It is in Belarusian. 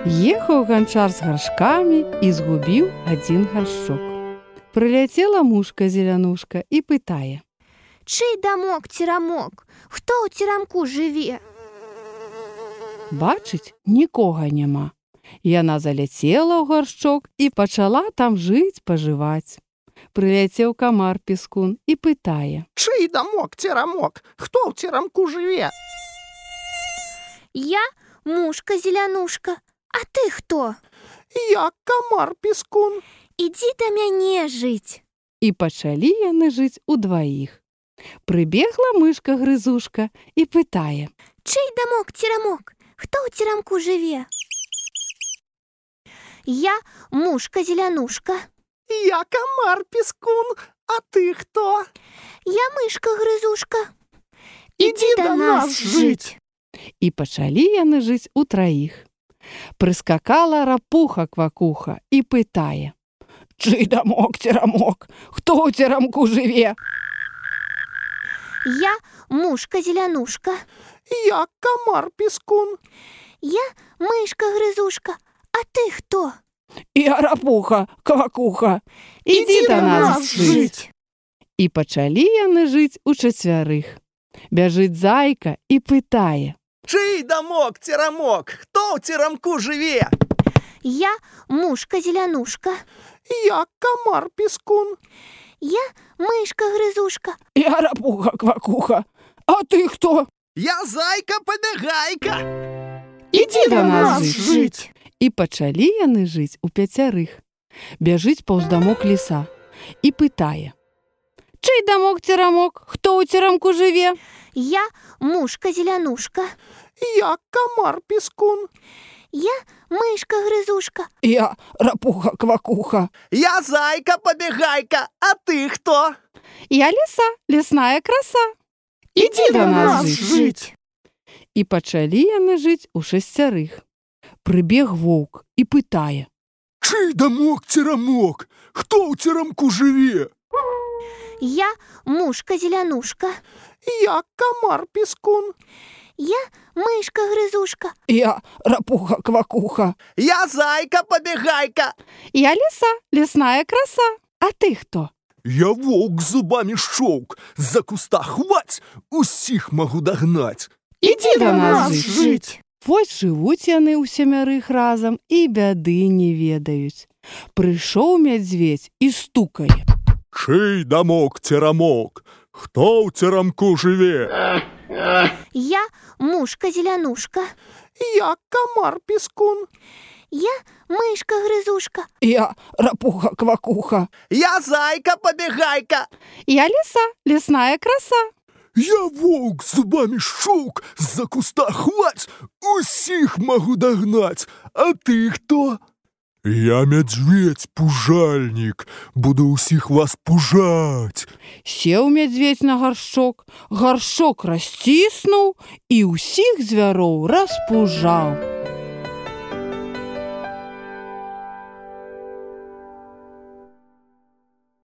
Ехаў ганчар з гаршкамі і згубіў адзін гаршчок. Прыляцела мушка-зелянушка і пытае: «Чый дамок церамок? Хто ў церамку жыве?» Бачыць, нікога няма. Яна заляцела ў гаршчок і пачала там жыць-пажываць. Прыляцеў камар-піскун і пытае: «Чый дамок церамок? Хто ў церамку жыве?» «Я мушка-зелянушка. А ты хто?» «Я камар-піскун». «Ідзі да мяне жыць». І пачалі яны жыць удваіх. Прыбегла мышка-грызушка і пытае: «Чый дамок церамок? Хто ў церамку жыве?» «Я мушка-зелянушка». «Я камар-піскун. А ты хто?» «Я мышка-грызушка». «Ідзі да нас жыць». І пачалі яны жыць утраіх. Прыскакала рапуха-квакуха і пытае: «Чый дамок церамок? Хто ў церамку жыве?» «Я мушка-зелянушка». «Я камар-піскун». «Я мышка-грызушка. А ты хто?» «Я рапуха-квакуха. Ідзі да нас жыць». І пачалі яны жыць учацвярых. Бяжыць зайка і пытае: «Чый дамок церамок? Хто ў церамку жыве?» «Я мушка-зелянушка». «Я камар-піскун». «Я мышка-грызушка». «Я рапуха-квакуха. А ты хто?» «Я зайка-пабягайка». «Ідзі да нас жыць». І пачалі яны жыць упяцярых. Бяжыць паўз дамок ліса і пытае: «Чый дамок церамок? Хто ў церамку жыве?» «Я мушка-зелянушка». «Я камар-піскун». «Я мышка-грызушка». «Я рапуха-квакуха». «Я зайка-пабягайка. А ты хто?» «Я ліса, лесная краса. Ідзі да нас жыць». І пачалі яны жыць у шасцярых. Прыбег воўк і пытае: «Чый дамок церамок? Хто ў церамку жыве?» «Я мушка-зелянушка». «Я камар-піскун». «Я мышка-грызушка». «Я рапуха-квакуха». «Я зайка-пабягайка». «Я ліса, лесная краса. А ты хто?» «Я воўк з зубамі шчоўк. З-за куста хваць, усіх магу дагнаць». «Ідзі да нас жыць». Вось жывуць яны ўсямярых разам і бяды не ведаюць. Прыйшоў мядзведзь і стукае: «Чый дамок церамок? Хто ў церамку жыве?» «Я мушка-зелянушка». «Я камар-піскун». «Я мышка-грызушка». «Я рапуха-квакуха». «Я зайка-пабягайка». «Я ліса, лесная краса». «Я воўк з зубамі шчоўк. З-за куста хваць, усіх магу дагнаць. А ты хто?» «Я мядзведзь-пужальнік. Буду ўсіх вас пужаць». Сеў мядзведзь на гаршчок, гаршчок расціснуў і ўсіх звяроў распужаў.